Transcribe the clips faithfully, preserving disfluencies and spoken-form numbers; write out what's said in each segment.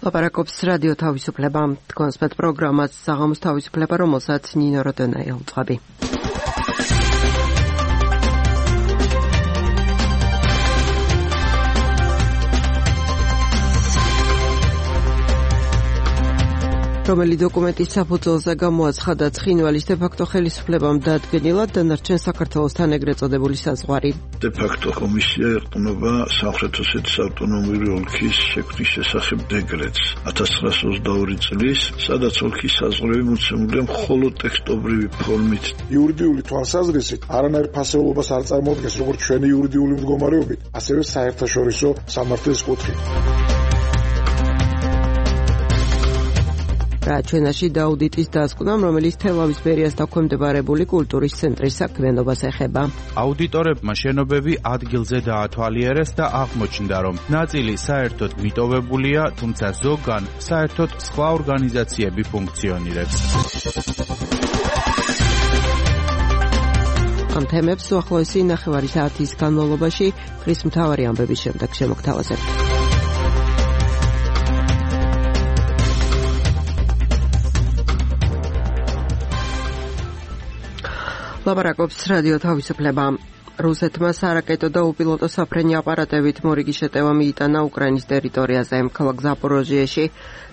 ლაპარაკობს რადიო თავისუფლება, თქვენს პროგრამას საღამოს თავისუფლება, რომელსაც ნინო როდონაი უძღვები. რომელი დოკუმენტის საფუძველზე გამოაცხადა ცხინვალის დე-ფაქტო ხელისუფლებამ დადგენილად დანარჩენ საქართველოსთან ეგრეთ წოდებული საზღვარი. დე-ფაქტო კომისია ეყრდნობა სამხრეთ ოსეთის ავტონომიური ოლქის შექმნის შესახებ დეკრეტს ათას ცხრაასი ოცდაორი წლის, სადაც ოლქის საზღვრები მოცემულია მხოლოდ ტექსტობრივი ფორმით. იურიდიული თვალსაზრისით არანაირ ფასეულობას არ წარმოადგენს როგორც ჩვენი იურიდიული მდგომარეობით, ასევე საერთაშორისო სამართლის კუთხით. რაჩვენაში დაუდიტის დასკვნამ, რომელიც თელავის ბერიას დაქვემდებარებული კულტურის ცენტრის საქმიანობას ეხება. აუდიტორებმა შენობები ადგილზე დაათვალიერეს და აღმოჩნდა, რომ ნაწილი საერთოდ მიტოვებულია, თუმცა ზოგან საერთოდ სხვა ორგანიზაციები ფუნქციონირებს. ამ თემებს უახლოესი ნახევარი საათის განმავლობაში დღის მთავარი ამბების შემდეგ შემოგთავაზებთ. ლაპარაკობს რადიო თავისუფლება. რუსეთმა სარაკეტო და უპილოტო საფრენი აპარატებით მორიგი შეტევა მიიტანა უკრაინის ტერიტორიაზე. ქალაქ ზაპოროჟიეში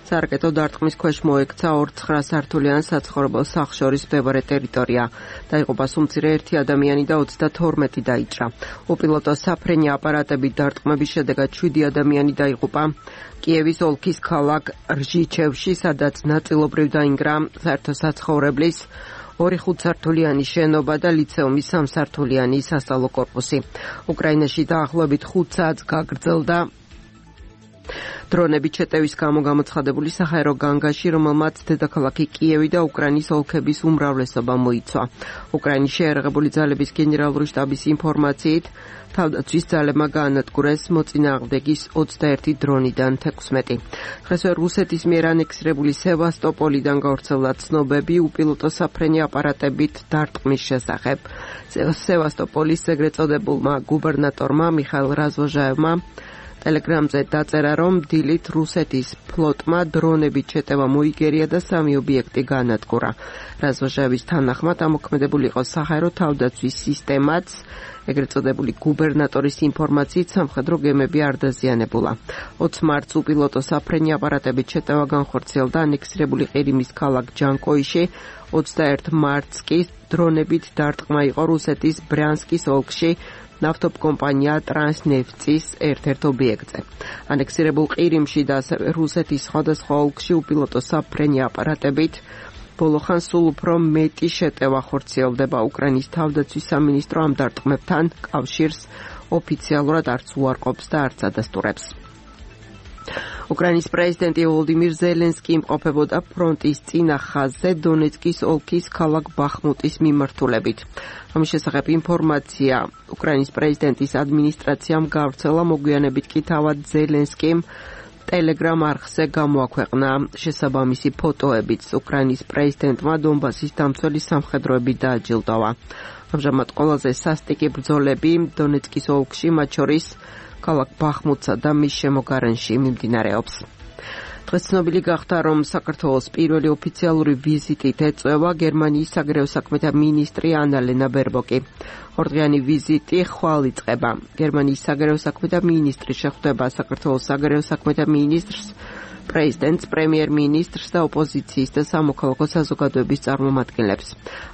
სარაკეტო დარტყმის ქვეშ მოექცა ორ ცხრასართულიან საცხოვრებელ სახლს შორის მდებარე ტერიტორია. დაიღუპა სუმცირე ერთი ადამიანი და ოცდათორმეტი დაიჭრა. უპილოტო საფრენი აპარატებით დარტყმების შედეგად შვიდი ადამიანი დაიღუპა. კიევის ოლქის ქალაქ რჟიჩევში, სადაც ნაწილობრივ დაინგრა საერთო საცხოვრებლის ორი ხუთსართულიანი შენობა და ლიცეუმის სამსართულიანი სასწავლო კორპუსი. უკრაინაში დაახლოებით ხუთ საათს გაგრძელდა დრონებით შეტევის გამო გამოცხადებული საჰაერო განგაში, რომელმაც დედაქალაქი კიევი და უკრაინის ოლქების უმრავლესობა მოიცვა. უკრაინის შეიარაღებული ძალების გენერალური შტაბის ინფორმაციით, თავდაცვის ძალებმა გაანადგურეს მოწინააღმდეგის ოცდაერთი დრონიდან თექვსმეტი. დღესვე რუსეთის მიერ ანექსირებული სევასტოპოლიდან გავრცელდა ცნობები უპილოტო საფრენი აპარატებით დარტყმის შესახებ. სევასტოპოლის ეგრეთ წოდებულმა გუბერნატორმა მიხაილ რაზვოჟაევმა ტელეგრამზე დაწერა, რომ დილით რუსეთის ფლოტმა დრონებით შეტევა მოიგერია და სამი ობიექტი გაანადგურა. რაზვოჟაევის თანახმად ამოქმედებული იყო საჰაერო თავდაცვის სისტემაც, ეგრეთ წოდებული გუბერნატორის ინფორმაციით სამხედრო გემები არ დაზიანებულა. ოცი მარტს უპილოტო საფრენი აპარატებით შეტევა განხორციელდა ანექსირებული ყირიმის ქალაქ ჯანკოიში, ოცდაერთი მარტს კი დრონებით დარტყმა იყო რუსეთის ბრიანსკის ოლქში ნავთობკომპანია ტრანსნეფტის ერთ-ერთ ობიექტზე. ანექსირებულ ყირიმში და რუსეთის სხვადასხვა ოლქში უპილოტო საფრენი აპარატებით ბოლოხან სულ უფრო მეტი შეტევა ხორციელდება. უკრაინის თავდაცვის სამინისტრო ამ დარტყმებთან კავშირს ოფიციალურად არც უარყოფს და არც ადასტურებს. უკრაინის პრეზიდენტი ვოლოდიმირ ზელენსკი იმყოფებოდა ფრონტის წინა ხაზზე დონეცკის ოლქის ქალაქ ბახმუტის მიმართულებით. ამის შესახებ ინფორმაცია უკრაინის პრეზიდენტის ადმინისტრაციამ გავრცელა, მოგვიანებით კი თავად ზელენსკიმ ტელეგრამ არხზე გამოაქვეყნა შესაბამისი ფოტოებიც. უკრაინის პრეზიდენტმა დონბასის დამცველი სამხედროები დააჯილდოვა. ამჟამად ყველაზე სასტიკი ბრძოლები დონეცკის ოლქში, მათ შორის ქალაქ ბახმუტსა და მის შემოგარენში მიმდინარეობს. დღეს ცნობილი გახდა, რომ საქართველოს პირველი ოფიციალური ვიზიტით ეწევა გერმანიის საგარეო საქმეთა მინისტრი ანალენა ბერბოკი. ორდღიანი ვიზიტი ხვალ იწყება. გერმანიის საგარეო საქმეთა მინისტრი შეხვდება საქართველოს საგარეო საქმეთა მინისტრს, პრეზიდენტს, პრემიერ-მინისტრს და ოპოზიციის და სამოქალაქო საზოგადოების წარმომადგენლებს.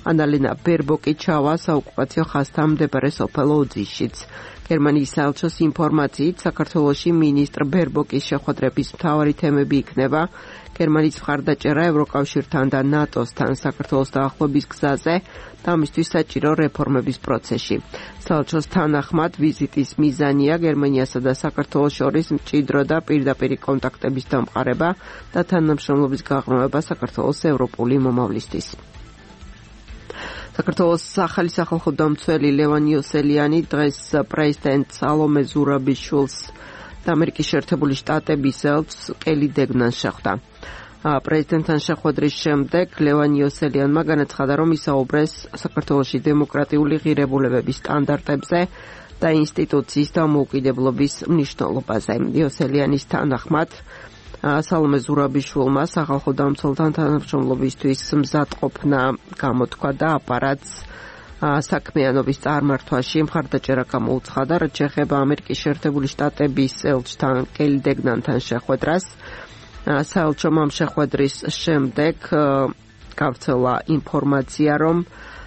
ანალენა ბერბოკი ჩავა საოკუპაციო ხაზთან მდებარე სოფელ ოძიშიც. გერმანიის საელჩოს ინფორმაციით, საქართველოში მინისტრ ბერბოკის შეხვედრების მთავარი თემები იქნება გერმანიის მხარდაჭერა ევროკავშირთან და ნატოსთან საქართველოს დაახლოების გზაზე და ამისთვის საჭირო რეფორმების პროცესში. საელჩოს თანახმად ვიზიტის მიზანია გერმანიასა და საქართველოს შორის მჭიდრო და პირდაპირი კონტაქტების დამყარება და თანამშრომლობის გაღრმავება საქართველოს ევროპული მომავლისთვის. საქართველოს ახალი სახალხო დამცველი ლევან იოსელიანი დღეს პრეზიდენტ სალომე ზურაბიშვილს და ამერიკის შეერთებული შტატების ელჩს კელი დეგნანს შეხვდა. პრეზიდენტთან შეხვედრის შემდეგ ლევან იოსელიანმა განაცხადა, რომ ისაუბრეს საქართველოში დემოკრატიული ღირებულებების სტანდარტებზე და ინსტიტუციის დამოუკიდებლობის მნიშვნელობაზე. იოსელიანის თანახმად სალომე ზურაბიშვილმა სახალხო დამცველთან თანამშრომლობისთვის მზადყოფნა გამოთქვა და აპარატს საქმიანობის წარმართვაში მხარდაჭერა გამოუცხადა, რაც შეეხება ამერიკის შეერთებული შტატების ელჩთან კელი დეგნანთან შეხვედრას. საელჩომ ამ შეხვედრის შემდეგ გავრცელა ინფორმაცია, რომ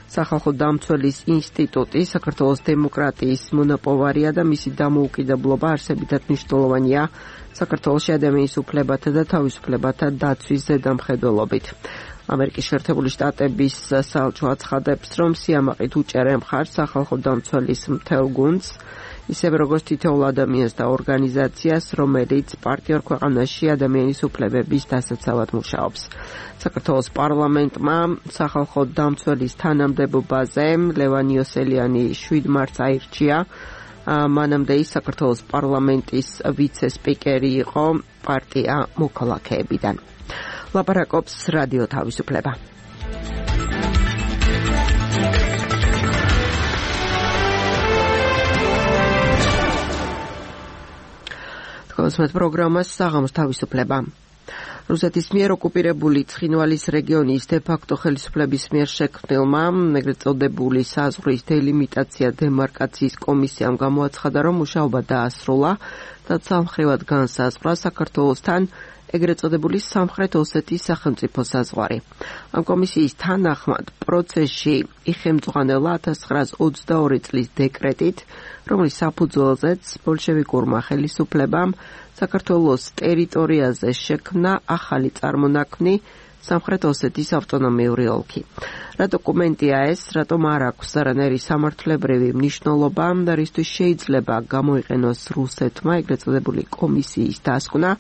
სახალხო დამცველის ინსტიტუტი საქართველოს დემოკრატიის მონაპოვარია და მისი დამოუკიდებლობა არსებითად მნიშვნელოვანია საქართველოში ადამიანის უფლებათა და თავისუფლებათა დაცვის ზედამხედველობით. ამერიკის შეერთებული შტატების საელჩო აცხადებს, რომ სიამაყით უჭერენ მხარს სახალხო დამცველის მთელ გუნდს, ისევე როგორც თითოეულ ადამიანს და ორგანიზაციას, რომელიც პარტნიორ ქვეყანაში ადამიანის უფლებების დასაცავად მუშაობს. საქართველოს პარლამენტმა სახალხო დამცველის თანამდებობაზე ლევან იოსელიანი შვიდ მარტს აირჩია. მანამდე ის საქართველოს პარლამენტის ვიცე-სპიკერი იყო პარტია მოქალაქეებიდან. ლაპარაკობს რადიო თავისუფლება. თქვენს პროგრამას საღამოს თავისუფლება. რუსეთის მიერ ოკუპირებული ცხინვალის რეგიონის დე-ფაქტო ხელისუფლების მიერ შექმნილმა ეგრეთ წოდებული საზღვრის დელიმიტაცია დემარკაციის კომისიამ გამოაცხადა, რომ მუშაობა დაასრულა და სამხრივად განსაზღვრა საქართველოსთან ეგრეთ წოდებული სამხრეთ ოსეთის სახელმწიფო საზღვარი. ამ კომისიის თანახმად პროცესში იხემძღვანელა ათას ცხრაას ოცდაორი წლის დეკრეტით, რომლის საფუძველზეც ბოლშევიკურმა ხელისუფლებამ საქართველოს ტერიტორიაზე შექმნა ახალი წარმონაქმნი სამხრეთ ოსეთის ავტონომიური ოლქი. რა დოკუმენტია ეს, რატომ არ აქვს არანაირი სამართლებრივი მნიშვნელობა და რისთვის შეიძლება გამოიყენოს რუსეთმა ეგრეთ წოდებული კომისიის დასკვნა?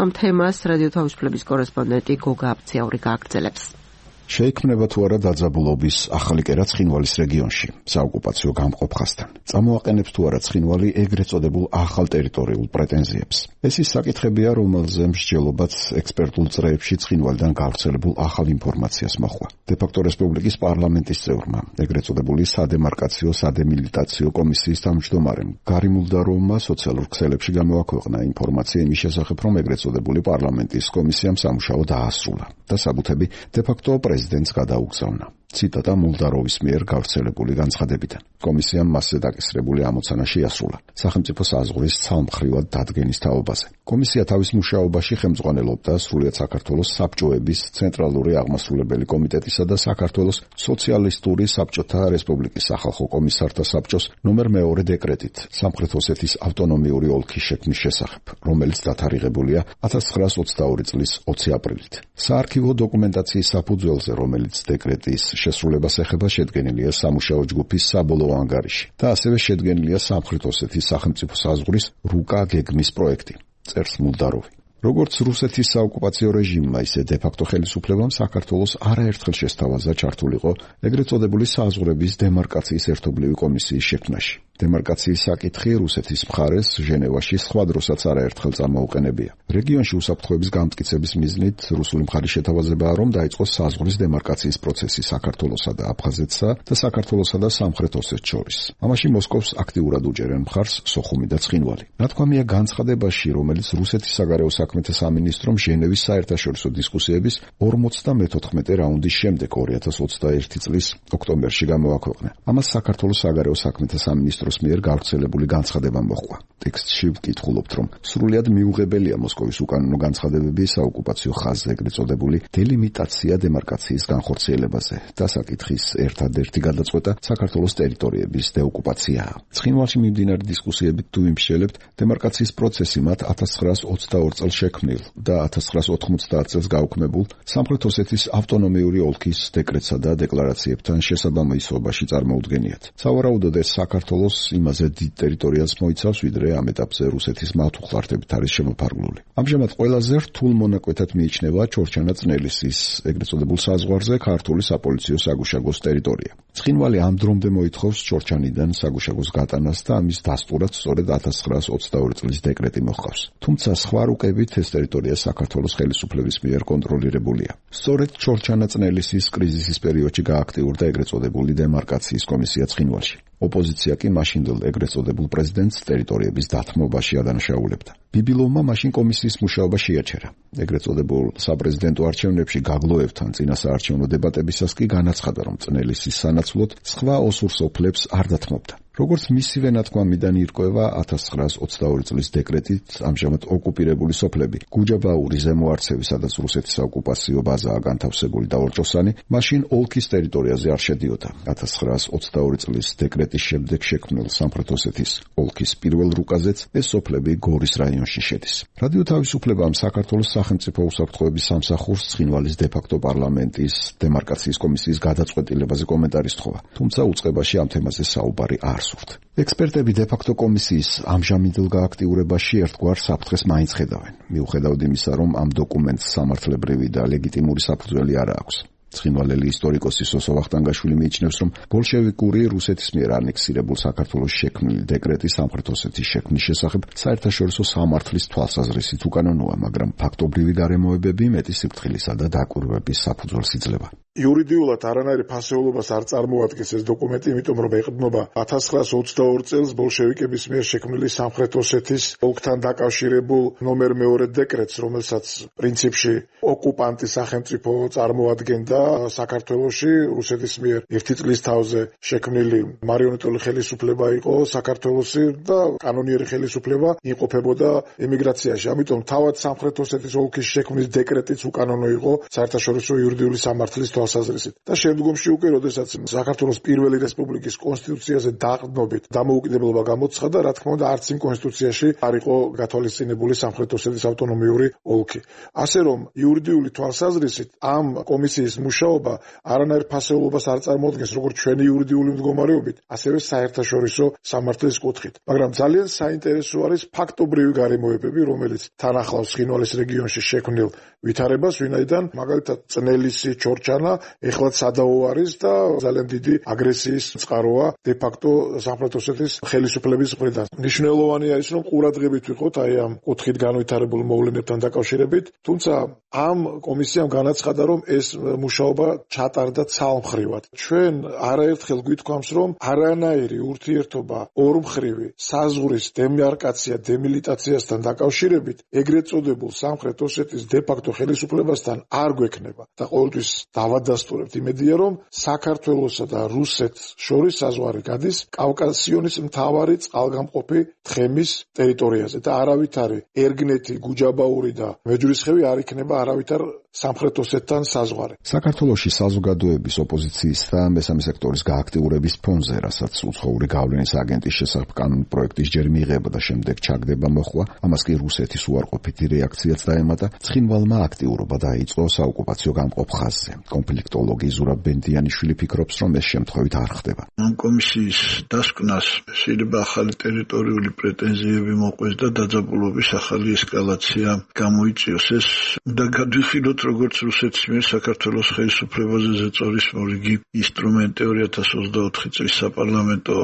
ამ თემას რადიო თავისუფლების კორესპონდენტი გოგა აბციაური გააგრძელებს. შეიქმნება თუ არა დაძაბულობის ახალი კერა ცხინვალის რეგიონში საოკუპაციო გამყოფხასთან. წამოაყენებს თუ არა ცხინვალი ეგრეთ წოდებულ ახალ ტერიტორიულ პრეტენზიებს. ეს ის საკითხებია, რომელზე მსჯელობაც ექსპერტულ წრეებში ცხინვალიდან გავრცელებულ ახალ ინფორმაციას მოჰყვა. დე-ფაქტო რესპუბლიკის პარლამენტის წევრმა, ეგრეთ წოდებული სადემარკაციო სადემილიტაციო კომისიის თავმჯდომარემ გარი მულდაროვმა სოციალურ ქსელებში გამოაქვეყნა ინფორმაცია იმის შესახებ, რომ ეგრეთ წოდებული პარლამენტის კომისიამ სამუშაო დაასრულა და საბუთები დე-ფაქტო პრეზიდენტს გადაუგზავნა. ციტატა მულდაროვის მიერ გავრცელებული განცხადებიდან. კომისიამ მასზე დაკისრებული ამოცანა შეასრულა სახელმწიფო საზღვრის ცალმხრივად დადგენის თაობაზე. კომისია თავის მუშაობაში ხელმძღვანელობდა სრულიად საქართველოს საბჭოების ცენტრალური აღმასრულებელი კომიტეტისა და საქართველოს სოციალისტური საბჭოთა რესპუბლიკის სახალხო კომისართა საბჭოს ნომერ მეორე დეკრეტით სამხრეთ ოსეთის ავტონომიური ოლქის შექმნის შესახებ, რომელიც დათარიღებულია ათას ცხრაას ოცდაორი წლის ოცი აპრილით. საარქივო დოკუმენტაციის საფუძველზე, რომელიც დეკრეტის შესრულებას ეხება, შედგენილია სამუშაო ჯგუფის საბოლოო ანგარიში და ასევე შედგენილია სამხრეთ ოსეთის სახელმწიფო საზღვრის რუკა გეგმის პროექტი. წერს მულდაროვი. როგორც რუსეთის საოკუპაციო რეჟიმმა, ისე დე-ფაქტო ხელისუფლებამ საქართველოს არაერთხელ შესთავაზა ჩართულიყო ეგრეთ წოდებული საზღვრების დემარკაციის ერთობლივი კომისიის შექმნაში. დემარკაციის საკითხი რუსეთის მხარეს ჟენევაში სხვა დროსაც არაერთხელ წამოუყენებია. რეგიონში უსაფრთხოების გამტკიცების მიზნით რუსული მხარის შეთავაზებაა, რომ დაიწყოს საზღვრის დემარკაციის პროცესი საქართველოსა და აფხაზეთსა და საქართველოსა და სამხრეთ ოსეთს შორის. ამაში მოსკოვს აქტიურად უჭერენ მხარს სოხუმი და ცხინვალი. ნათქვამია განცხადებაში, რომელიც რუსეთის საგარეო საქმეთა სამინისტრომ ჟენევის საერთაშორისო დისკუსიების ორმოცდამეთოთხმეტე რაუნდის შემდეგ ორი ათას ოცდაერთი წლის ოქტომბერში გამოაქვეყნა. ამას საქართველოს საგარეო საქმეთა სამინისტროს მიერ გავრცელებული განცხადება მოჰყვა. ტექსტში ვკითხულობთ, რომ სრულიად მიუღებელია მოსკოვის უკანონო განცხადებები საოკუპაციო ხაზზე ეგრეთ წოდებული დელიმიტაცია დემარკაციის განხორციელებაზე და საკითხის ერთადერთი გადაწყვეტა საქართველოს ტერიტორიების დეოკუპაციაა. ცხინვალში მიმდინარე დისკუსიებით თუ ვიმსჯელებთ, დემარკაციის პროცესი მათ ათას ცხრაას ოცდაორ წელს შექმნილ და ათას ცხრაას ოთხმოცდაათ წელს გაუქმებულ სამხრეთ ოსეთის ავტონომიური ოლქის დეკრეტსა და დეკლარაციებთან შესაბამისობაში წარმოუდგენიათ. სავარაუდოდ ეს საქართველოს იმაზე დიდ ტერიტორიას მოიცავს, ვიდრე ამ ეტაპზე რუსეთის მართუხლართებით არის შემოფარგლული. ამჟამად ყველაზე რთულ მონაკვეთად მიიჩნევა ჩორჩანა წნელისის ეგრეთ წოდებულ საზღვარზე ქართული საპოლიციო საგუშაგოს ტერიტორია. ცხინვალი ამ დრომდე მოითხოვს ჩორჩანიდან საგუშაგოს გატანას და ამის დასტურად სწორედ ათას ცხრაას ოცდაორი წლის დეკრეტი მოჰყავს. თუმცა სხვა რუკებით ეს ტერიტორია საქართველოს ხელისუფლების მიერ კონტროლირებულია. სწორედ ჩორჩანა წნელისის კრიზისის პერიოდში გააქტიურდა ეგრეთ წოდებული დემარკაციის კომისია ცხინვალში. ოპოზიცია კი მაშინდელ ეგრეთ წოდებულ პრეზიდენტს ტერიტორიების დათმობაში ადანაშაულებდა. ბიბილოვმა მაშინ კომისიის მუშაობა შეაჩერა. ეგრეთ წოდებულ საპრეზიდენტო არჩევნებში გაგლოევთან წინასაარჩევნო დებატებისას კი განაცხადა, რომ წნელისის სანაცვლოდ სხვა ოსურ სოფლებს არ დათმობდა. როგორც მისივე ნათქვამიდან ირკვევა, ათას ცხრაას ოცდაორი წლის დეკრეტით ამჟამად ოკუპირებული სოფლები გუჯაბაური, ზემო არცევი, სადაც რუსეთის საოკუპაციო ბაზაა განთავსებული და ორჭოსანი, მაშინ ოლქის ტერიტორიაზე არ შედიოდა. ათას ცხრაას ოცდაორი წლის დეკრეტის შემდეგ შექმნილ სამხრეთ ოსეთის ოლქის პირველ რუკაზეც ეს სოფლები გორის რაიონში შედის. რადიო თავისუფლებამ საქართველოს სახელმწიფო უსაფრთხოების სამსახურს ცხინვალის დე-ფაქტო პარლამენტის დემარკაციის კომისიის გადაწყვეტილებაზე კომენტარი სთხოვა, თუმცა უწყებაში ამ თემაზე საუბარი არ სურთ. ექსპერტები დე-ფაქტო კომისიის ამჟამინდელ გააქტიურებაში ერთგვარ საფრთხეს მაინც ხედავენ, მიუხედავად იმისა, რომ ამ დოკუმენტს სამართლებრივი და ლეგიტიმური საფუძველი არ აქვს. ცხინვალელი ისტორიკოსი სოსო ვახტანგაშვილი მიიჩნევს, რომ ბოლშევიკური რუსეთის მიერ ანექსირებულ საქართველოს შექმნილი დეკრეტი სამხრეთ ოსეთის შექმნის შესახებ საერთაშორისო სამართლის თვალსაზრისით უკანონოა, მაგრამ ფაქტობრივი გარემოებები მეტი სიფრთხილისა და დაკვირვების საფუძველს იძლევა. იურიდიულად არანაირი ფასეულობას არ წარმოადგენს ეს დოკუმენტი, იმიტომ რომ ეყრდნობა ათას ცხრაას ოცდაორი წელს ბოლშევიკების მიერ შექმნილი სამხრეთ ოსეთის ოლქთან დაკავშირებულ ნომერ მეორე დეკრეტს, რომელსაც პრინციპში ოკუპანტი სახელმწიფო წარმოადგენდა საქართველოში. რუსეთის მიერ ერთი წლის თავზე შექმნილი მარიონეტული ხელისუფლება იყო საქართველოსი და კანონიერი ხელისუფლება იმყოფებოდა ემიგრაციაში. ამიტომ თავად სამხრეთ ოსეთის ოლქის შექმნის დეკრეტიც უკანონო იყო საერთაშორისო იურიდიული სამართლის თვალსაზრისით. და შემდგომში უკვე, როდესაც საქართველოს პირველი რესპუბლიკის კონსტიტუციაზე დაყრდნობით დამოუკიდებლობა გამოცხადა, რა თქმა უნდა, არც იმ კონსტიტუციაში არ იყო გათვალისწინებული სამხრეთ ოსეთის ავტონომიური ოლქი. ასე რომ, იურიდიული თვალსაზრისით ამ კომისიის მუშაობა არანაირ ფასეულობას არ წარმოადგენს როგორც ჩვენი იურიდიული მდგომარეობით, ასევე საერთაშორისო სამართლის კუთხით. მაგრამ ძალიან საინტერესო არის ფაქტობრივი გარემოებები, რომელიც თან ახლავს ცხინვალის რეგიონში შექმნილ ვითარებას, ვინაიდან მაგალითად წნელისი, ჩორჩანა ეხლაც სადაო არის და ძალიან დიდი აგრესიის წყაროა დე-ფაქტო სამხრეთ ოსეთის ხელისუფლების მხრიდან. მნიშვნელოვანი არის, რომ ყურადღებით ვიყოთ აი ამ კუთხით განვითარებულ მოვლენებთან დაკავშირებით, თუმცა ამ კომისიამ განაცხადა, რომ ეს მუშაობა ჩატარდა ცალმხრივად. ჩვენ არაერთხელ გვითქვამს, რომ არანაირი ურთიერთობა ორმხრივი საზღვრის დემარკაცია, დემილიტაციასთან დაკავშირებით ეგრეთ წოდებულ სამხრეთ ოსეთის დე-ფაქტო ხელისუფლებასთან არ გვექნება და ყოველთვის დავადასტურებთ იმედია, რომ საქართველოსა და რუსეთს შორის საზღვარი გადის კავკასიონის მთავარი წყალგამყოფი თხემის ტერიტორიაზე და არავითარი ერგნეთი, გუჯაბაური და მეჯვრისხევი არ იქნება არავითარ სამხრეთ ოსეთთან საზღვარი. საქართველოში საზოგადოების ოპოზიციის და მესამე სექტორის გააქტიურების ფონზე, რასაც უცხოური გავლენის აგენტის შესახებ კანონ პროექტის ჯერ მიიღება და შემდეგ ჩაგდება მოხვა, ამას კი რუსეთის უარყოფითი რეაქციაც დაემატა, ცხინვალმა აქტიურობა დაიწყო საოკუპაციო გამყოფ ხაზზე. კონფლიქტოლოგი ზურაბ ბენდიანიშვილი ფიქრობს, რომ ეს შემთხვევით არ ხდება. ამ კომისიის დასკვნას შეიძლება ახალი ტერიტორიული პრეტენზიები მოყვეს და დაძაბულობის ახალი ესკალაცია გამოიწვიოს. ეს უნდა გადვიხილოთ როგორც რუსეთის მიერ საქართველოს ხელისუფლებაზე ზეწოლის მორიგი ინსტრუმენტი ორი ათას ოცდაოთხი წლის საპარლამენტო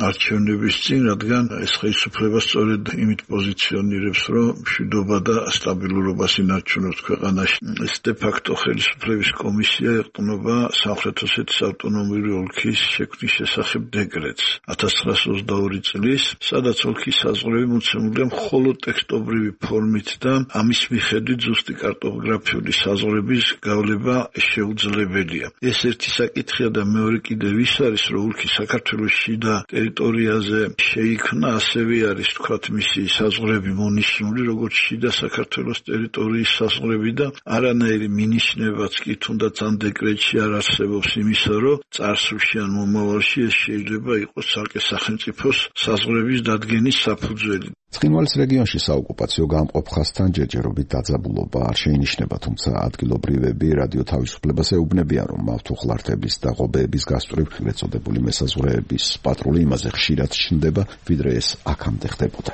არჩევნების წინ, რადგან ეს ხელისუფლება სწორედ იმით პოზიციონირებს, რომ მშვიდობა და სტაბილურობას ინარჩუნებს ქვეყანაში. ეს დე-ფაქტო ხელისუფლების კომისია ეყრდნობა სამხრეთ ოსეთის ავტონომიური ოლქის შექმნის შესახებ დეკრეტს ათას ცხრაას ოცდაორი წლის, სადაც ოლქის საზღვრები მოცემულია მხოლოდ ტექსტობრივი ფორმით და ამის მიხედვით ზუსტი კარტოგრაფიული საზღვრების გავლება შეუძლებელია. ეს ერთი საკითხია და მეორე კიდევ ის არის, რომ ოლქი საქართველოს შიდა ტერიტორიაზე შეიქმნა, ასევე არის თქვათ მისი საზღვრები მონიშნული როგორც შიდა საქართველოს ტერიტორიის საზღვრები და არანაირი მინიშნებაც კი თუნდაც ამ დეკრეტში არ არსებობს იმისა, რომ წარსულში ან მომავალში ეს შეიძლება იყოს ცალკე სახელმწიფოს საზღვრების დადგენის საფუძველი. ცხინვალის რეგიონში საოკუპაციო გამყოფ ხაზთან ჯერჯერობით დაძაბულობა არ შეინიშნება, თუმცა ადგილობრივები რადიო თავისუფლებას ეუბნებიან, რომ მავთუხლართების და ღობეების გასწვრივ ეწოდებული მესაზღვრეების პატრული იმაზე ხშირად ჩნდება, ვიდრე ეს აქამდე ხდებოდა.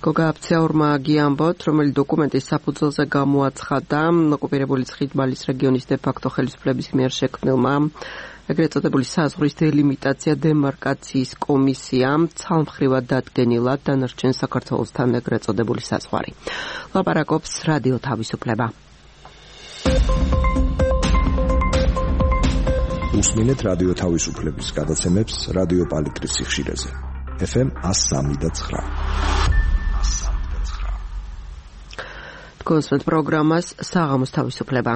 გოგა აფცეურმა გიამბოთ, რომელი დოკუმენტის საფუძველზე გამოაცხადა ოკუპირებული ცხინვალის რეგიონის დე-ფაქტო ხელისუფლების მიერ შექმნილმა ეგრეთ წოდებული საზღვრის დელიმიტაცია დემარკაციის კომისიამ ცალმხრივად დადგენილა დანარჩენ საქართველოსთან ეგრეთ წოდებული საზღვარი. ლაპარაკობს რადიო თავისუფლება. უსმინეთ რადიო თავისუფლების გადაცემებს რადიო პალიტრის სიხშირეზე. ეფ ემ one oh three point nine. გოსმეთ პროგრამას საღამოს თავისუფლება.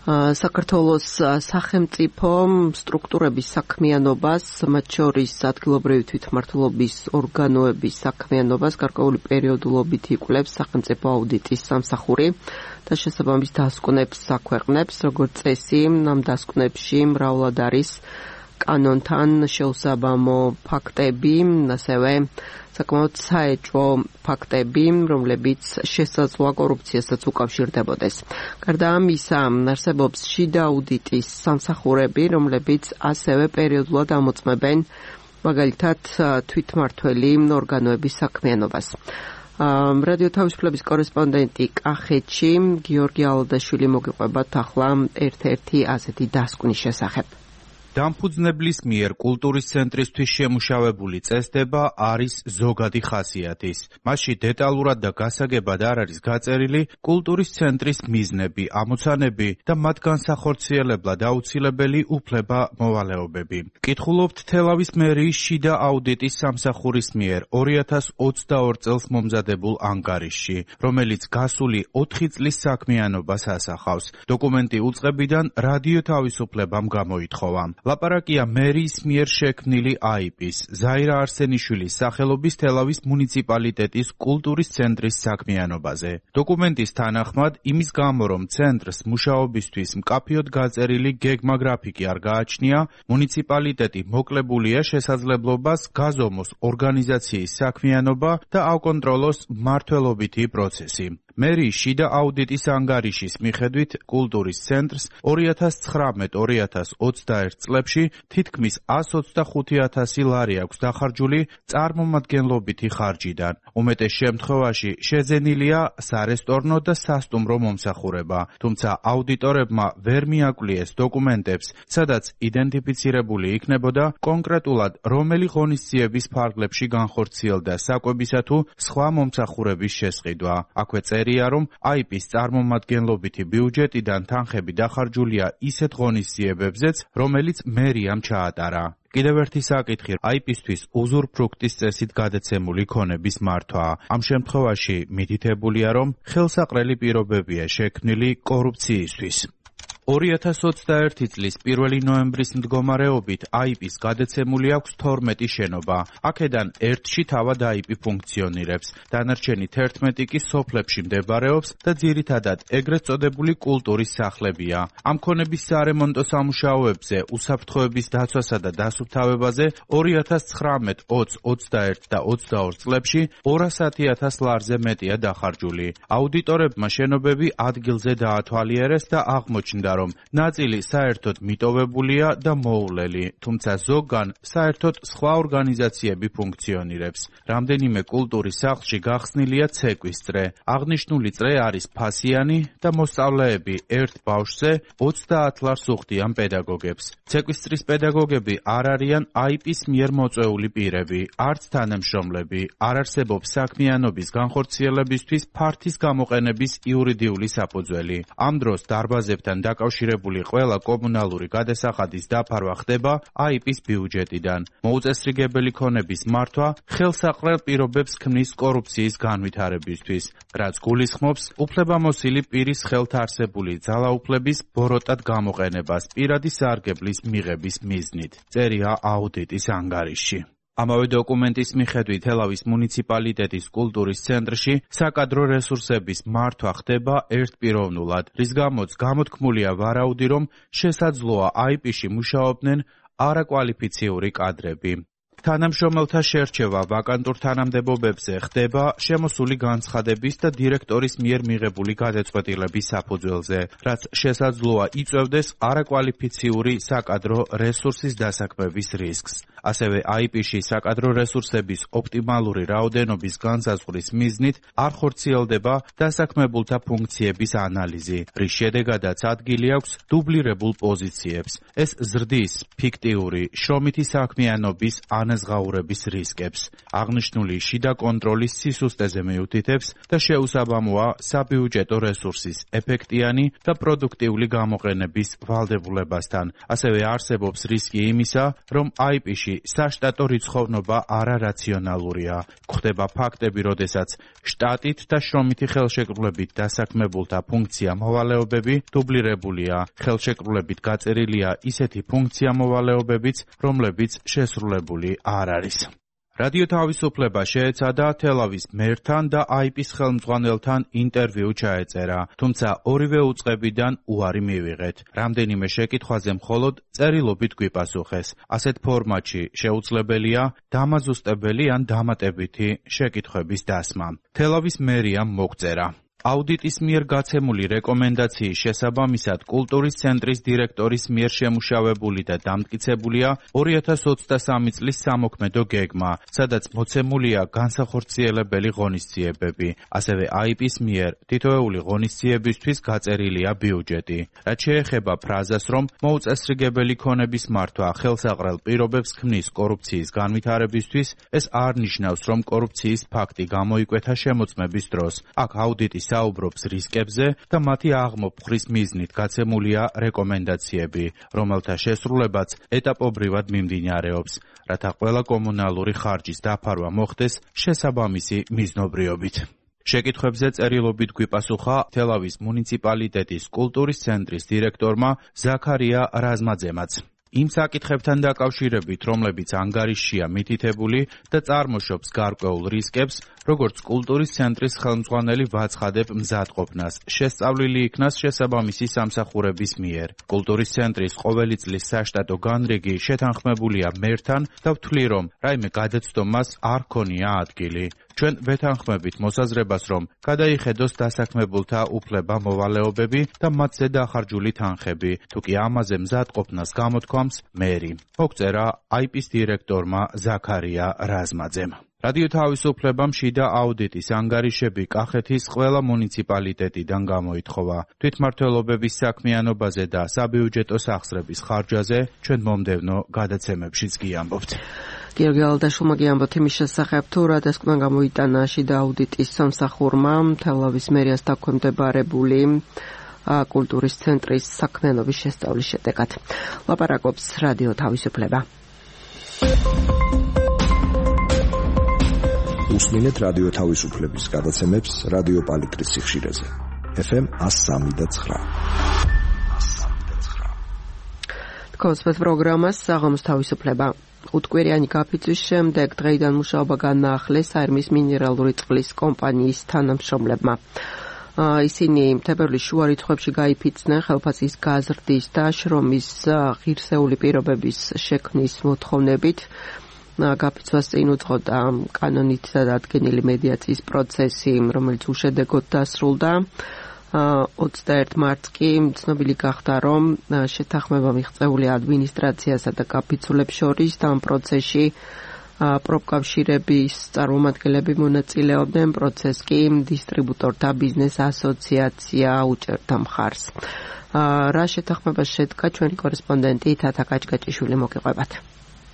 საქართველოს სახელმწიფო სტრუქტურების საქმიანობას, მათ შორის ადგილობრივი თვითმმართველობის ორგანოების საქმიანობას გარკვეული პერიოდულობით იკვლევს სახელმწიფო აუდიტის სამსახური და შესაბამის დასკვნებს აქვეყნებს, როგორც წესი, ამ დასკვნებში მრავლად არის კანონთან შეუსაბამო ფაქტები, ასევე საკმაოდ საეჭვო ფაქტები, რომლებიც შესაძლოა კორუფციასაც უკავშირდებოდეს. გარდა ამისა, არსებობს შიდა აუდიტის სამსახურები, რომლებიც ასევე პერიოდულად ამოწმებენ მაგალითად თვითმმართველი ორგანოების საქმიანობას. რადიო თავისუფლების კორესპონდენტი კახეთში გიორგი ალადაშვილი მოგიყვებათ ახლა ერთ-ერთი ასეთი დასკვნის შესახებ. დამფუძნებლის მიერ კულტურის ცენტრისთვის შემუშავებული წესდება არის ზოგადი ხასიათის. მასში დეტალურად და გასაგებად არ არის გაწერილი კულტურის ცენტრის მიზნები, ამოცანები და მათ განსახორციელებლად აუცილებელი უფლება-მოვალეობები. კითხულობთ თელავის მერიის შიდა აუდიტის სამსახურის მიერ ორი ათას ოცდაორ წელს მომზადებულ ანგარიშში, რომელიც გასული ოთხი წლის საქმიანობას ასახავს. დოკუმენტი უწყებიდან რადიო თავისუფლებამ გამოითხოვა. ლაპარაკია მერიის მიერ შექმნილი აიპის, ზაირა არსენიშვილის სახელობის თელავის მუნიციპალიტეტის კულტურის ცენტრის საქმიანობაზე. დოკუმენტის თანახმად, იმის გამო, რომ ცენტრს მუშაობისთვის მკაფიოდ გაწერილი გეგმა გრაფიკი არ გააჩნია, მუნიციპალიტეტი მოკლებულია შესაძლებლობას გაზომოს ორგანიზაციის საქმიანობა და აუკონტროლოს მმართველობითი პროცესი. მერიის შიდა აუდიტის ანგარიშის მიხედვით კულტურის ცენტრს ორი ათას ცხრამეტ ორი ათას ოცდაერთ წლებში თითქმის εκατს ოცდახუთი ათასი ლარი აქვს დახარჯული წარმომადგენლობითი ხარჯიდან. უმეტეს შემთხვევაში შეძენილია სარესტორნო და სასტუმრო მომსახურება, თუმცა აუდიტორებმა ვერ მიაკლიეს დოკუმენტებს, სადაც იდენტიფიცირებული იქნებოდა კონკრეტულად რომელი ღონისძიების ფარგლებში განხორციელდა საკვებისა თუ სხვა მომსახურების შესყიდვა. აქვე წერია, რომ აიპის წარმომადგენლობითი ბიუჯეტიდან თანხები დახარჯულია ისეთ ღონისძიებებზეც, რომელიც მერიამ ჩაატარა. კიდევ ერთი საკითხი აიპისთვის უზურპრუქტის წესით გადაცემული ქონების მართვა. ამ შემთხვევაში მითითებულია, რომ ხელსაყრელი პირობებია შექმნილი კორუფციისთვის. ორი ათას ოცდაერთი წლის პირველი ნოემბრის მდგომარეობით აიპის გადაცემული აქვს თორმეტი შენობა. აქედან ერთში თავად აიპი ფუნქციონირებს, დანარჩენი თერთმეტი კი სოფლებში მდებარეობს და ძირითადად ეგრეთ წოდებული კულტურის სახლებია. ამ ქონების სარემონტო სამუშაოებზე, უსაფრთხოების დაცვასა და დასუფთავებაზე ორი ათას ცხრამეტ, ოცი, ოცდაერთ და ოცდაორ წლებში ორასი ათას ლარზე მეტია დახარჯული. აუდიტორებმა შენობები ადგილზე დაათვალიერეს და აღმოჩნდა, რომ ნაწილი საერთოდ მიტოვებულია და მოუვლელი, თუმცა ზოგან საერთოდ სხვა ორგანიზაციები ფუნქციონირებს. რამდენიმე კულტურის სახლში გახსნილია ცეკვის წრე. აღნიშნული წრე არის ფასიანი და მოსწავლეები ერთ ბავშვზე ოცდაათ ლარს უხდიან პედაგოგებს. ცეკვის წრის პედაგოგები არ არიან აიპის მიერ მოწვეული პირები, არც თანამშრომლები, არ არსებობს საქმიანობის განხორციელებისთვის ფართის გამოყენების იურიდიული საფუძველი. ამ დროს დარბაზებთან დაკავშირებული ყველა კომუნალური გადასახადის დაფარვა ხდება აიპის ბიუჯეტიდან. მოუწესრიგებელი ქონების მართვა ხელსაყრელ პირობებს ქმნის კორუფციის განვითარებისთვის, რაც გულისხმობს უფლებამოსილი პირის ხელთ არსებული ძალაუფლების ბოროტად გამოყენებას პირადი სარგებლის მიღების მიზნით. წერია აუდიტის ანგარიშში. ამავე დოკუმენტის მიხედვით თელავის მუნიციპალიტეტის კულტურის ცენტრში საკადრო რესურსების მართვა ხდება ერთპიროვნულად, რის გამოც გამოთქმულია ვარაუდი, რომ შესაძლოა აიპში მუშაობდნენ არაკვალიფიციური კადრები. თანამშრომელთა შერჩევა ვაკანტურ თანამდებობებზე ხდება შემოსული განცხადების და დირექტორის მიერ მიღებული გადაწყვეტილების საფუძველზე, რაც შესაძლოა იწვევდეს არაკვალიფიციური საკადრო რესურსის დასაქმების რისკს. ასევე აი პი-ში საკადრო რესურსების ოპტიმალური რაოდენობის განსაზღვრის მიზნით არ ხორციელდება დასაქმებულთა ფუნქციების ანალიზი, რის შედეგადაც ადგილი აქვს დუბლირებულ პოზიციებს. ეს ზრდის ფიქტიური შრომითი საქმიანობის ანაზღაურების რისკებს. აღნიშნული შიდა კონტროლის სისუსტეზე მიუთითებს და შეუსაბამოა საბიუჯეტო რესურსის ეფექტიანი და პროდუქტიული გამოყენების ვალდებულებასთან. ასევე არსებობს რისკი იმისა, რომ აი პი-ში საშტატო რიცხოვნობა არარაციონალურია. გვხდება ფაქტები, როდესაც შტატით და შრომითი ხელშეკრულებით დასაქმებულთა ფუნქცია მოვალეობები დუბლირებულია. ხელშეკრულებით გაწერილია ისეთი ფუნქცია მოვალეობებიც, რომლებიც შესრულებული არ არის. რადიო თავისუფლება შეეცადა თელავის მერთან და აი პი-ის ხელმძღვანელთან ინტერვიუ ჩაეწერა, თუმცა ორივე უწყებიდან უარი მივიღეთ. რამდენიმე შეკითხვაზე მხოლოდ წერილობით გვიპასუხეს. ასეთ ფორმატში შეუძლებელია დამაზუსტებელი ან დამატებითი შეკითხვების დასმა. თელავის მერიამ მოგწერა. აუდიტის მიერ გაცემული რეკომენდაციის შესაბამისად კულტურის ცენტრის დირექტორის მიერ შემუშავებული და დამტკიცებულია ორი ათას ოცდასამი წლის სამოქმედო გეგმა, სადაც მოცემულია განსახორციელებელი ღონისძიებები. ასევე აი პი-ის მიერ თითოეული ღონისძიებისთვის გაწერილია ბიუჯეტი. რაც შეეხება ფრაზას, რომ მოუწესრიგებელი ქონების მართვა ხელსაყრელ პირობებს ქმნის კორუფციის განვითარებისთვის, ეს არ ნიშნავს, რომ კორუფციის ფაქტი გამოიკვეთა შემოწმების დროს. აქ აუდიტის საუბრობს რისკებზე და მათი აღმოფხრის მიზნით გაცემულია რეკომენდაციები, რომელთა შესრულებაც ეტაპობრივად მიმდინარეობს, რათა ყველა კომუნალური ხარჯის დაფარვა მოხდეს შესაბამისი მიზნობრიობით. შეკითხვებზე წერილობით გვიპასუხა თელავის მუნიციპალიტეტის კულტურის ცენტრის დირექტორმა ზაქარია რაზმაძემაც. იმ საკითხებთან დაკავშირებით, რომლებიც ანგარიშშია მითითებული და წარმოშობს გარკვეულ რისკებს, როგორც კულტურის ცენტრის ხელმძღვანელი ვაცხადებ მზადყოფნას, შესწავლილი იქნას შესაბამისი სამსახურების მიერ. კულტურის ცენტრის ყოველი წლის საშტატო განრიგი შეთანხმებულია მერთან და ვთვლი, რომ რაიმე გადაცდომას არ ქონია ადგილი. ჩვენ ვეთანხმებით მოსაზრებას, რომ გადაიხედოს დასაქმებულთა უფლება მოვალეობები და მათზე დახარჯული თანხები, თუ კი ამაზე მზადყოფნას გამოთქვამს მერი. მოგწერა აი პი-ის დირექტორმა ზაქარია რაზმაძემ. რადიო თავისუფლებამ შიდა აუდიტის ანგარიშები კახეთის ყველა მუნიციპალიტეტიდან გამოითხოვა. თვითმმართველობების საქმიანობაზე და საბიუჯეტო სახსრების ხარჯაზე ჩვენ მომდევნო გადაცემებშიც გიამბობთ. გიორგი ალდაშვილმა გიამბობთ იმის შესახებ, თუ რა დასკვნა გამოიტანა შიდა აუდიტის სამსახურმა თელავის მერიას დაქვემდებარებული კულტურის ცენტრის საქმიანობის შესწავლის შედეგად. ლაპარაკობს რადიო თავისუფლება. უსმინეთ რადიო თავისუფლების გადაცემებს რადიო პალიტრის სიხშირეზე. ეფ ემ ას სამი და ცხრა. თქოსმეთ პროგრამას საღამოს თავისუფლება. უთკვირიანი გაფიცვის შემდეგ დღეიდან მუშაობა განაახლეს საერმის მინერალური წყლის კომპანიის თანამშრომლებმა. ისინი თებერვლის შუა რიცხვებში გაიფიცნენ ხელფასის გაზრდის და შრომის ღირსეული პირობების შექმნის მოთხოვნებით. გაფიცვას წინ უძღოდა კანონით დადგენილი მედიაციის პროცესი, რომელიც უშედეგოდ დასრულდა. ოცდაერთი მარტს კი ცნობილი გახდა, რომ შეთანხმება მიღწეული ადმინისტრაციასა და გაფიცულებს შორის და ამ პროცესში პროფკავშირების წარმომადგენლები მონაწილეობდნენ, პროცესს კი დისტრიბუტორთა ბიზნეს ასოციაცია უჭერდა მხარს. რა შეთანხმება შედგა, ჩვენი კორესპონდენტი თათა კაჭკაჭიშვილი მოგიყვებათ.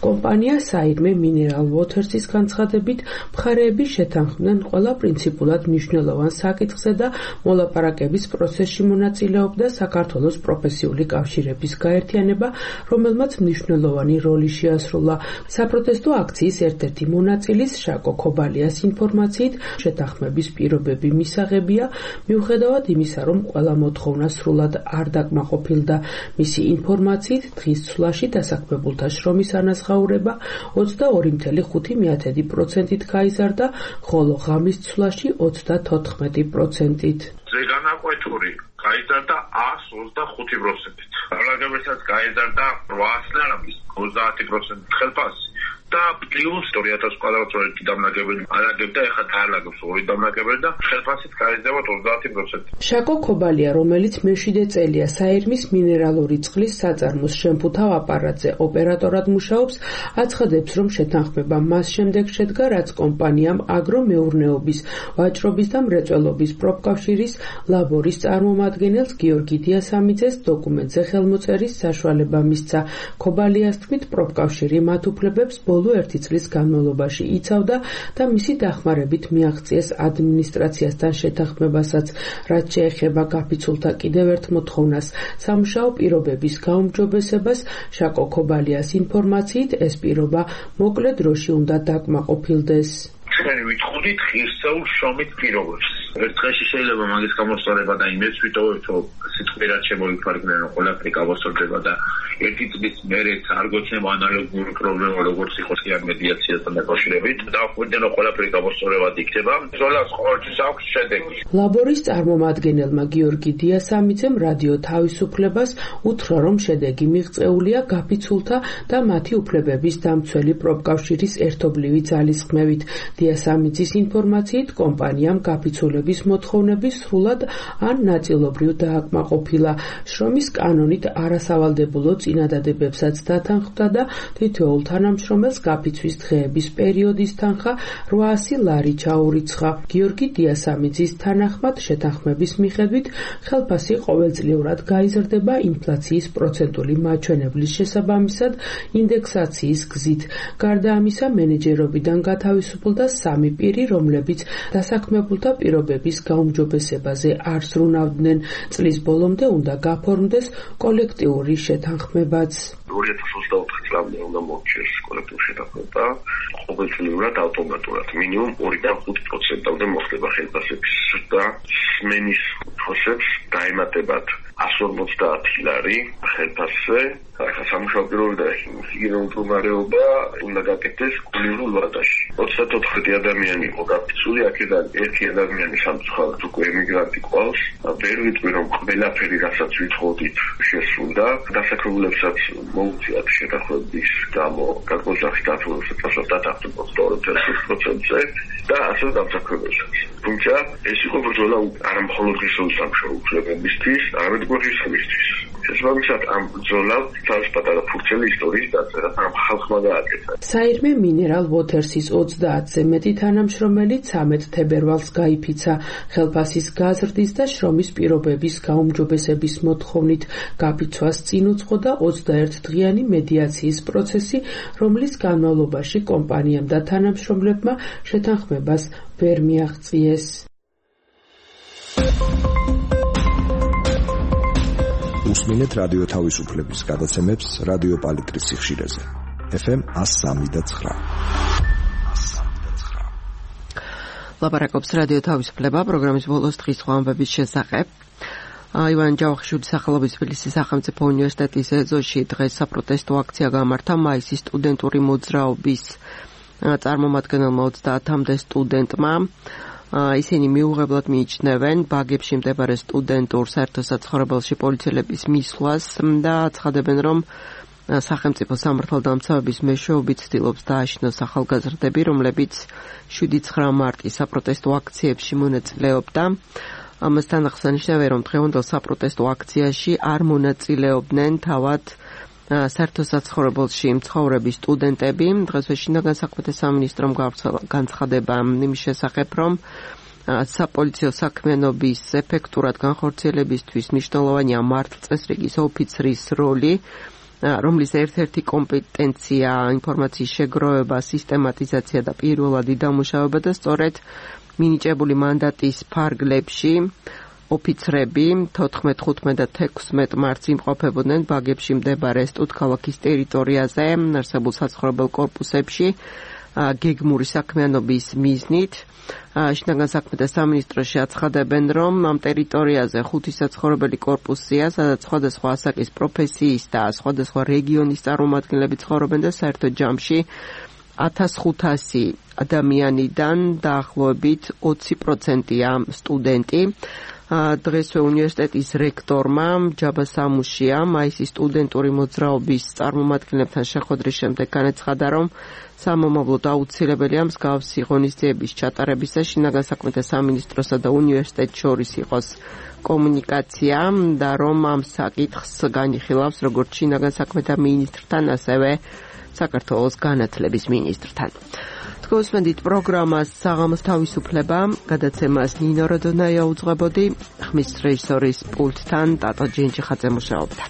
კომპანია საირმე მინერალ ვოთერსის განცხადებით მხარეები შეთანხმდნენ ყველა პრინციპულად მნიშვნელოვან საკითხზე და მოლაპარაკების პროცესში მონაწილეობდა საქართველოს პროფესიული კავშირების გაერთიანება, რომელმაც მნიშვნელოვანი როლი შეასრულა. საპროტესტო აქციის ერთ-ერთი მონაწილის შაკო ქობალიას ინფორმაციით შეთანხმების პირობები მისაღებია, მიუხედავად იმისა, რომ ყველა მოთხოვნა სრულად არ დაკმაყოფილდა. მისი ინფორმაციით დღის ცვლაში დასაქმებულთა შრომის ანაზღაურება ოცდაორი წუთი ხუთი პროცენტით გაიზარდა, ხოლო ღამის ცვლაში ოცდათოთხმეტი პროცენტით. ზეგანაკვეთური გაიზარდა ას ოცდახუთი პროცენტით. რაგებესაც გაიზარდა რვაას ლარების ოცდაათი პროცენტით ხელფასი და პლუს ორი ათას კვადრატმეტრი დამნაკებელი არაგებდა, ეხლა დაალაგებს ორი დამნაკებელი და ხელფასით გაიზრდება ოცდაათი პროცენტი. შაკო ქობალია, რომელიც მეშვიდე წელია საირმის მინერალური წყლის საწარმოს შემფუთავ აპარატზე ოპერატორად მუშაობს, აცხადებს, რომ შეთანხმება მას შემდეგ შედგა, რაც კომპანიამ აგრომეურნეობის, ვაჭრობის და მრეწველობის პროფკავშირის ლაბორის წარმომადგენელს გიორგი დიასამიძეს დოკუმენტზე ხელმოწერის საშუალება მისცა. ქობალიას თქმით, პროფკავშირი მათ უფლებებს ბოლო ერთი წლის განმავლობაში იცავდა და მისი დახმარებით მიაღწიეს ადმინისტრაციასთან შეთანხმებასაც, რაც შეეხება გაფიცულთა კიდევ ერთ მოთხოვნას, სამუშაო პირობების გაუმჯობესებას. შაკო ქობალიას ინფორმაციით, ეს პირობა მოკლე დროში უნდა დაკმაყოფილდეს. ჩვენი ვიტყოდით ღირსეულ შრომით პირობებს. ერთ დღეში შეიძლება მაგის გამოსწორება და იმეც ვიტოვებთ, რომ სიტყვიერად შემოიფარგლენ, რომ ყველაფერი გავასწორდება და ერთი წლის მერეც არ გოცნება ანალოგური პრობლემა, როგორც იყო სიარ მედიაციასთან დაკავშირებით. დავხვდენ, რომ ყველაფერი გამოსწორებად იქნება. ბრძოლას ყოველთვის აქვს შედეგი. ლაბორის წარმომადგენელმა გიორგი დიასამიძემ რადიო თავისუფლებას უთხრა, რომ შედეგი მიღწეულია გაფიცულთა და მათი უფლებების დამცველი პროფკავშირის ერთობლივი ძალისხმევით. დიასამიძის ინფორმაციით, კომპანიამ გაფიცულების მოთხოვნები სრულად ან ნაწილობრივ დააკმაყოფილა. შრომის კანონით არასავალდებულო წინადადებებსაც დათანხმდა და თითოეულ თანამშრომელს გაფიცვის დღეების პერიოდის თანხა რვაასი ლარი ჩაურიცხა. გიორგი დიასამიძის თანახმად, შეთანხმების მიხედვით ხელფასი ყოველწლიურად გაიზრდება ინფლაციის პროცენტული მაჩვენებლის შესაბამისად ინდექსაციის გზით. გარდა ამისა, მენეჯერობიდან გათავისუფლდა სამი პირი, რომლებიც დასაქმებულთა პირობების გაუმჯობესებაზე არ ზრუნავდნენ. წლის ბოლომდე უნდა გაფორმდეს კოლექტიური შეთანხმებაც. ორი ათას ოცდაოთხ წლამდე უნდა მოჩერს კოლექტიური შეთანხმება, ყოველწლიურად ავტომატურად მინიმუმ ორიდან ხუთ პროცენტამდე მოხდება ხელფასების ზრდა. სმენის ფოსებს დაემატებათ ასი ორმოცდაათი ლარი ხელფასზე. ახლა სამუშაო პირობები და ჰიგიენური მდგომარეობა უნდა გაკეთდეს კულტურულ ვადაში. ოცდაოთხი ადამიანი იყო გაფიცული, აქედან ერთი ადამიანი სამწუხაროდ უკვე ემიგრანტი ყავს. ვერ ვიტყვი, რომ ყველაფერი, რასაც ვითხოვდით, შესრულდა. დასაქმებულებსაც მოუწიათ შეთანხმების გამო გაგოჟახის დათვალიერებასაც დათანხმდა ოცდაორი წელს პროცენტზე და ასე დამსაქმებელსაც. თუმცა ეს იყო ბრძოლა არა მხოლოდ ღირსეული სამუშაო უფლებებისთვის, არამედ გვერდისამისთვის. შესაბამისად, ამ ბრძოლას თავის პატარა ფურცელი ისტორიის დაწერა, ამ ხალხმა გააკეთა. საირმე მინერალ ვოთერსის ოცდაათზე მეტი თანამშრომელი ცამეტ თებერვალს გაიფიცა ხელფასის გაზრდის და შრომის პირობების გაუმჯობესების მოთხოვნით. გაფიცვას წინ უძღოდა ოცდაერთი დღიანი მედიაციის პროცესი, რომლის განმავლობაში კომპანიამ და თანამშრომლებმა შეთანხმებას ვერ მიაღწიეს. უსმინეთ რადიო თავისუფლების გადაცემებს რადიო პალიტრის სიხშირეზე. ეფ ემ ას სამი და ცხრა. ლაპარაკობს რადიო თავისუფლება პროგრამის ბოლოს დღის ხვამბების შესახებ. ივან ჯავახიშვილის სახელობის თბილისის სახელმწიფო უნივერსიტეტის ეზოში დღეს საპროტესტო აქცია გამართა მაისის სტუდენტური მოძრაობის წარმომადგენელმა ოცდაათამდე სტუდენტმა. ისინი მიუღებლად მიიჩნევენ ბაგებში მდებარე სტუდენტურ საერთო საცხოვრებელში პოლიციელების მისვლას და აცხადებენ, რომ სახელმწიფო სამართალდამცავების მეშვეობით ცდილობს დააშინოს ახალგაზრდები, რომლებიც შვიდი ცხრა მარტის საპროტესტო აქციებში მონაწილეობდა. ამასთან აღსანიშნავია, რომ დღევანდელ საპროტესტო აქციაში არ მონაწილეობდნენ თავად საერთო საცხოვრებელში მცხოვრები სტუდენტები. დღესვე შინაგან საქმეთა სამინისტრომ გავრცელა განცხადება იმის შესახებ, რომ საპოლიციო საქმიანობის ეფექტურად განხორციელებისთვის მნიშვნელოვანია მართლწესრიგის ოფიცრის როლი, რომლის ერთ-ერთი კომპეტენცია ინფორმაციის შეგროვება, სისტემატიზაცია და პირველადი დამუშავება და სწორედ მინიჭებული მანდატის ფარგლებში ოფიცრები თოთხმეტ, ხუთმეტ და თექვსმეტ მარტს იმყოფებოდნენ ბაგებში მდებარე სტუდქალაქის ტერიტორიაზე არსებულ საცხოვრებელ კორპუსებში გეგმური საქმიანობის მიზნით. შინაგან საქმეთა სამინისტროში აცხადებენ, რომ ამ ტერიტორიაზე ხუთი საცხოვრებელი კორპუსია, სადაც სხვადასხვა ასაკის პროფესიის და სხვადასხვა რეგიონის წარმომადგენლები ცხოვრობენ და საერთო ჯამში ათას ხუთასი ადამიანიდან დაახლოებით ოცი პროცენტია სტუდენტი. დღესვე უნივერსიტეტის რექტორმა ჯაბა სამუშიამ მაისის სტუდენტური მოძრაობის წარმომადგენლებთან შეხვედრის შემდეგ განაცხადა, რომ სამომავლოდ აუცილებელია მსგავსი ღონისძიების ჩატარების და შინაგან საქმეთა სამინისტროსა და უნივერსიტეტს შორის იყოს კომუნიკაცია და რომ ამ საკითხს განიხილავს როგორც შინაგან საქმეთა მინისტრთან, ასევე საქართველოს განათლების მინისტრთან. თქვენსმენდით პროგრამას საღამოს თავისუფლება, გადაცემას ნინო როდონაია უძღვებოდი, ხმის რეჟისორის პულტთან ტატო ჯენჯიხაძე მუშაობდა.